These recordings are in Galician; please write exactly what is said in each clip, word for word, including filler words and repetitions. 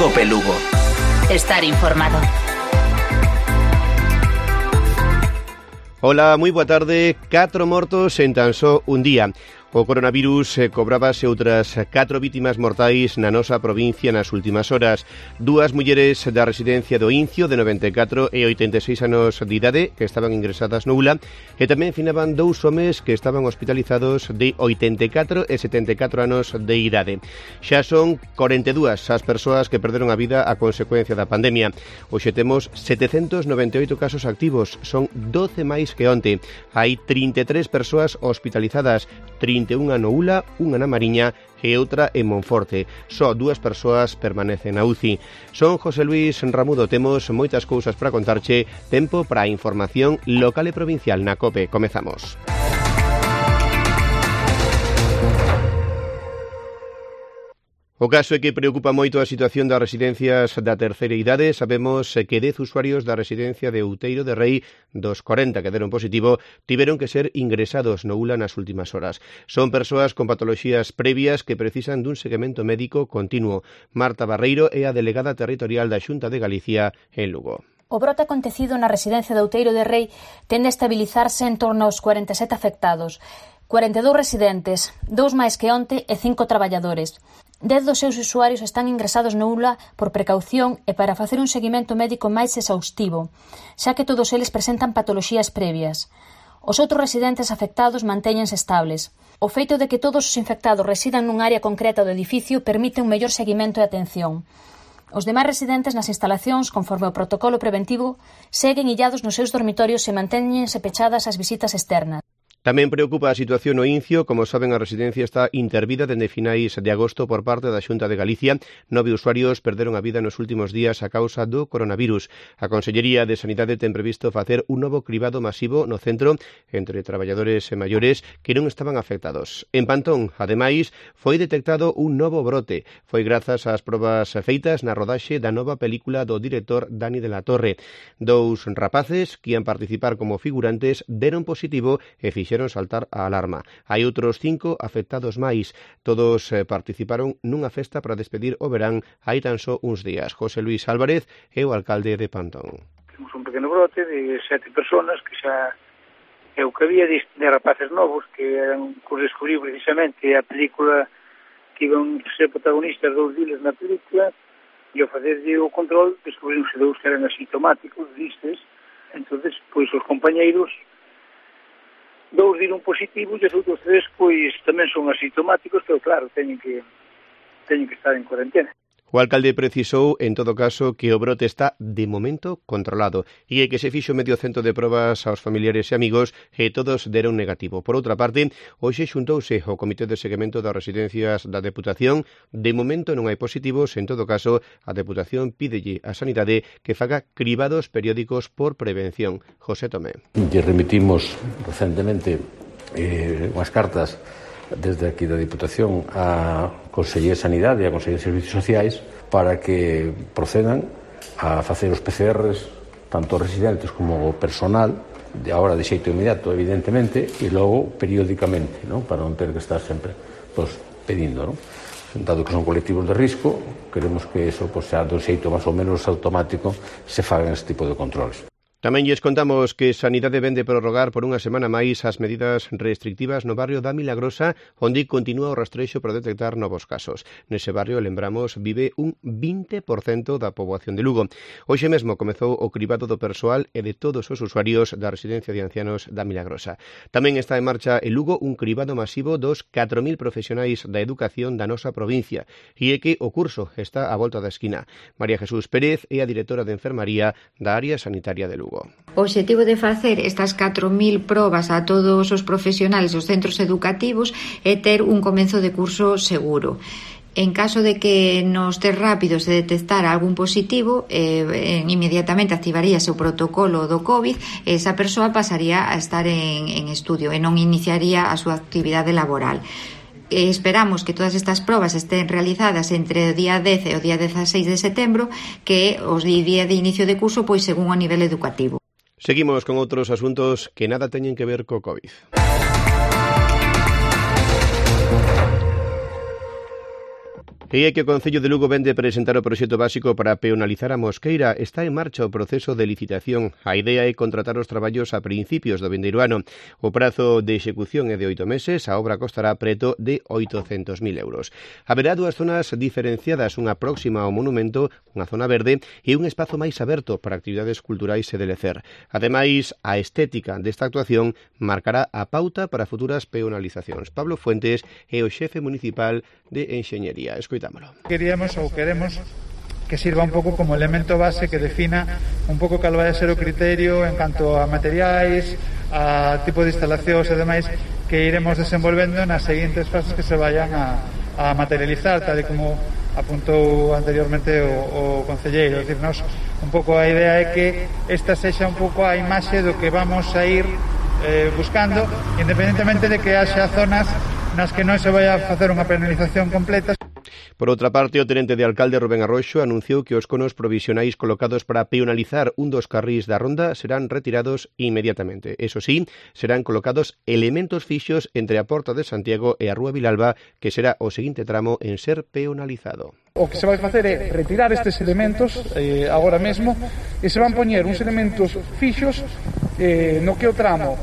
Cope Lugo. Estar informado. Ola, moi boa tarde. Catro mortos en tan só un día. O coronavirus eh, cobrábase outras catro vítimas mortais na nosa provincia nas últimas horas. Dúas mulleres da residencia do Incio, de noventa e catro e oitenta e seis anos de idade, que estaban ingresadas no U L A, e tamén finaban dous homes que estaban hospitalizados de oitenta e catro e setenta e catro anos de idade. Xa son corenta e dúas as persoas que perderon a vida a consecuencia da pandemia. Hoxe temos setecentos noventa e oito casos activos, son doce máis que onte. Hai trinta e tres persoas hospitalizadas, trinta e unha no U L A, unha na Mariña e outra en Monforte. Só dúas persoas permanecen na U C I. Son José Luis Ramudo, temos moitas cousas para contarche, tempo para a información local e provincial na COPE. Comezamos. O caso é que preocupa moito a situación das residencias da terceira idade. Sabemos que dez usuarios da residencia de Outeiro de Rei, dos corenta que deron positivo, tiveron que ser ingresados no U L A nas últimas horas. Son persoas con patoloxías previas que precisan dun seguimento médico continuo. Marta Barreiro é a delegada territorial da Xunta de Galicia en Lugo. O brote acontecido na residencia de Outeiro de Rei tende a estabilizarse en torno aos cuarenta e sete afectados. cuarenta e dous residentes, dous máis que onte e cinco traballadores. Dez dos seus usuarios están ingresados no U L A por precaución e para facer un seguimento médico máis exhaustivo, xa que todos eles presentan patoloxías previas. Os outros residentes afectados mantéñense estables. O feito de que todos os infectados residan nun área concreta do edificio permite un mellor seguimento e atención. Os demais residentes nas instalacións, conforme o protocolo preventivo, seguen illados nos seus dormitorios e mantéñense pechadas as visitas externas. Tamén preocupa a situación no Incio. Como saben, a residencia está intervida dende finais de agosto por parte da Xunta de Galicia. Nove usuarios perderon a vida nos últimos días a causa do coronavirus. A Consellería de Sanidade ten previsto facer un novo cribado masivo no centro entre traballadores e maiores que non estaban afectados. En Pantón, ademais, foi detectado un novo brote. Foi grazas ás probas feitas na rodaxe da nova película do director Dani de la Torre. Dous rapaces que ian participar como figurantes deron positivo e fixeron fixeron saltar a alarma. Hai outros cinco afectados máis. Todos eh, participaron nunha festa para despedir o verán hai tan só uns días. José Luis Álvarez é o alcalde de Pantón. Temos un pequeno brote de sete personas que xa é o que había de, de rapaces novos que eran que descubrir precisamente a película que iban ser protagonistas dous diles na película e ao facerlle o control descubrironse dous que eran asintomáticos, vistes. Entonces, pois os compañeiros dous diron positivo e os outros tres pois tamén son asintomáticos, pero claro, teñen que teñen que estar en cuarentena. O alcalde precisou, en todo caso, que o brote está, de momento, controlado e que se fixo medio cento de probas aos familiares e amigos e todos deron negativo. Por outra parte, hoxe xuntouse o Comité de Seguimento das Residencias da Deputación. De momento non hai positivos. En todo caso, a Deputación pídelle á Sanidade que faga cribados periódicos por prevención. José Tomé. Lle remitimos recentemente eh, unhas cartas desde aquí da Diputación a Consellería de Sanidade e a Consellería de Servicios Sociais para que procedan a facer os P C Rs tanto residentes como o personal, de agora de xeito inmediato, evidentemente, e logo periódicamente, ¿no? Para non ter que estar sempre pues, pedindo, ¿no? Dado que son colectivos de risco, queremos que eso pues, sea do xeito máis ou menos automático se fagan este tipo de controles. Tamén lles contamos que Sanidade vende prorrogar por unha semana máis as medidas restrictivas no barrio da Milagrosa, onde continúa o rastrexo para detectar novos casos. Nese barrio, lembramos, vive un vinte por cento da poboación de Lugo. Hoxe mesmo comezou o cribado do persoal e de todos os usuarios da residencia de ancianos da Milagrosa. Tamén está en marcha en Lugo un cribado masivo dos catro mil profesionais da educación da nosa provincia, e é que o curso está á volta da esquina. María Jesús Pérez é a directora de enfermaría da área sanitaria de Lugo. O obxectivo de facer estas catro mil probas a todos os profesionales dos centros educativos é ter un comenzo de curso seguro. En caso de que nos test rápidos se detectara algún positivo, eh, inmediatamente activaríase o protocolo do COVID e esa persoa pasaría a estar en, en estudio e non iniciaría a súa actividade laboral. Eh, esperamos que todas estas probas estén realizadas entre o día dez e o día dieciséis de setembro, que é os día de inicio de curso, pois según o nivel educativo. Seguimos con outros asuntos que nada teñen que ver co COVID. E é que o Concello de Lugo vende presentar o proxecto básico para peonalizar a Mosqueira. Está en marcha o proceso de licitación. A idea é contratar os traballos a principios do vindeiro ano. O prazo de execución é de oito meses, a obra costará preto de oitocentos mil euros. Haberá dúas zonas diferenciadas, unha próxima ao monumento, unha zona verde, e un espazo máis aberto para actividades culturais e de lecer. Ademais, a estética desta actuación marcará a pauta para futuras peonalizacións. Pablo Fuentes é o xefe municipal de Enxeñería. Escoitámolo. Queríamos ou queremos que sirva un pouco como elemento base que defina un pouco cal vai a ser o criterio en canto a materiais, a tipo de instalacións e demais que iremos desenvolvendo nas seguintes fases que se vayan a, a materializar, tal e como apuntou anteriormente o, o concelleiro. Es decir, nos, un pouco a idea é que esta sexa un pouco a imaxe do que vamos a ir eh, buscando, independentemente de que haxa zonas nas que non se vai a facer unha penalización completa. Por outra parte, o tenente de alcalde Rubén Arroxo anunciou que os conos provisionais colocados para peonalizar un dos carrís da ronda serán retirados inmediatamente. Eso sí, serán colocados elementos fixos entre a Porta de Santiago e a Rúa Vilalba, que será o seguinte tramo en ser peonalizado. O que se vai facer é retirar estes elementos eh, agora mesmo e se van poñer uns elementos fixos eh, no que o tramo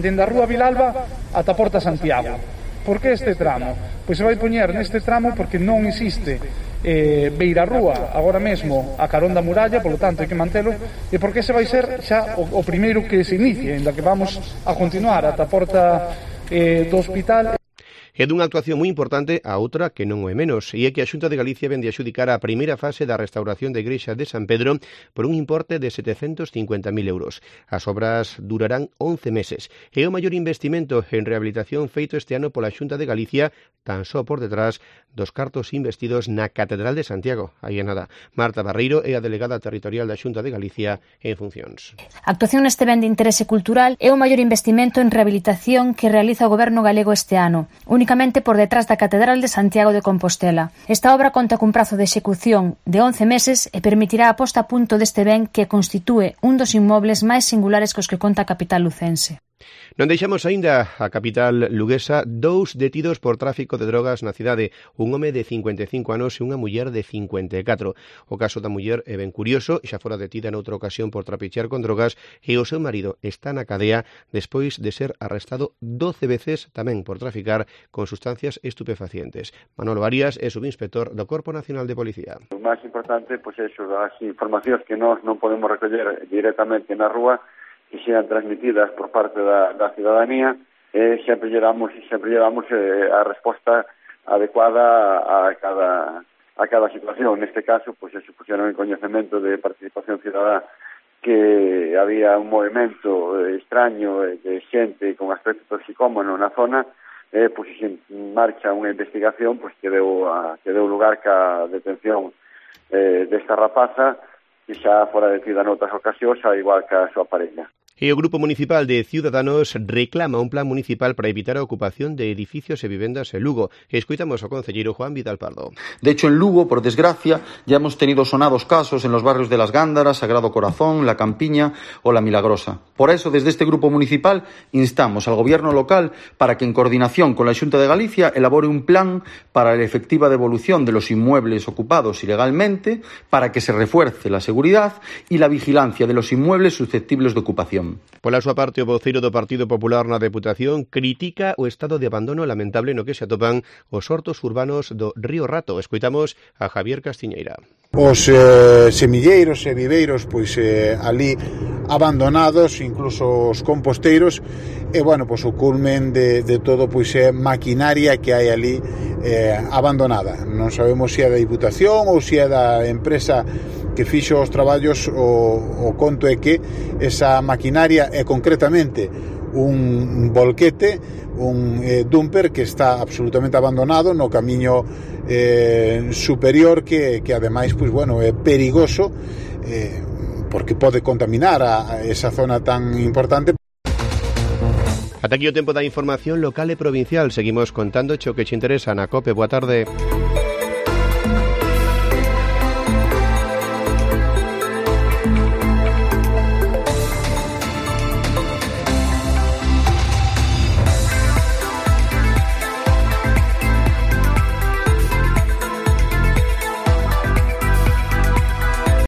dende a Rúa Vilalba ata a Porta Santiago. Por que este tramo? Pois se vai poñer neste tramo porque non existe eh, beirarrúa agora mesmo a carón da muralla, polo tanto hai que mantelo, e porque se vai ser xa o, o primeiro que se inicie, en da que vamos a continuar ata a porta eh, do hospital. É dunha actuación moi importante a outra que non o é menos, e é que a Xunta de Galicia vende a xudicar a primeira fase da restauración da igrexa de San Pedro por un importe de setecentos cincuenta mil euros. As obras durarán once meses. É o maior investimento en rehabilitación feito este ano pola Xunta de Galicia, tan só por detrás dos cartos investidos na Catedral de Santiago. Aí é nada. Marta Barreiro é a delegada territorial da Xunta de Galicia en funcións. A actuación neste ben de interese cultural é o maior investimento en rehabilitación que realiza o Goberno galego este ano, únicamente por detrás da Catedral de Santiago de Compostela. Esta obra conta cun prazo de execución de once meses e permitirá a posta a punto deste ben que constitúe un dos inmobles máis singulares cos que conta a capital lucense. Non deixamos aínda a capital luguesa dous detidos por tráfico de drogas na cidade, un home de cincuenta e cinco anos e unha muller de cincuenta e catro. O caso da muller é ben curioso, xa fora detida noutra ocasión por trapichear con drogas e o seu marido está na cadea despois de ser arrestado doce veces tamén por traficar con sustancias estupefacientes. Manolo Arias é subinspector do Corpo Nacional de Policía. O máis importante, pois, é as informacións que nós non podemos recoller directamente na rúa que sean transmitidas por parte da, da cidadanía, e sempre llevamos, sempre llevamos eh, a resposta adecuada a cada, a cada situación. Neste caso, pois, se pusieron en coñecemento de participación cidadá que había un movimento extraño de xente con aspecto toxicómano na zona, eh, pois se marcha unha investigación pois, que, deu a, que deu lugar ca detención eh, desta rapaza, que xa fora detida noutras ocasións, a igual que a súa parella. E o Grupo Municipal de Ciudadanos reclama un plan municipal para evitar a ocupación de edificios e vivendas en Lugo. Escoitamos ao concelleiro Juan Vidal Pardo. De hecho, en Lugo, por desgracia, ya hemos tenido sonados casos en los barrios de Las Gándaras, Sagrado Corazón, La Campiña o La Milagrosa. Por eso, desde este Grupo Municipal, instamos al Gobierno local para que, en coordinación con la Xunta de Galicia, elabore un plan para la efectiva devolución de los inmuebles ocupados ilegalmente, para que se refuerce la seguridad y la vigilancia de los inmuebles susceptibles de ocupación. Pola súa parte, o voceiro do Partido Popular na Deputación critica o estado de abandono lamentable no que se atopan os hortos urbanos do Río Rato. Escoitamos a Javier Castiñeira. Os eh, semilleiros e viveiros pois eh, ali abandonados, incluso os composteiros, e bueno, pois o culmen de, de todo pois é maquinaria que hai ali eh, abandonada. Non sabemos se é da Diputación ou se é da empresa que fixo os traballos. O, o conto é que esa maquinaria é concretamente un volquete, un eh, dumper que está absolutamente abandonado no camiño eh, superior que, que ademais pois, bueno, é perigoso eh, porque pode contaminar a, a esa zona tan importante. Ata aquí o tempo da información local e provincial. Seguimos contando o que che interesa na COPE. Boa tarde.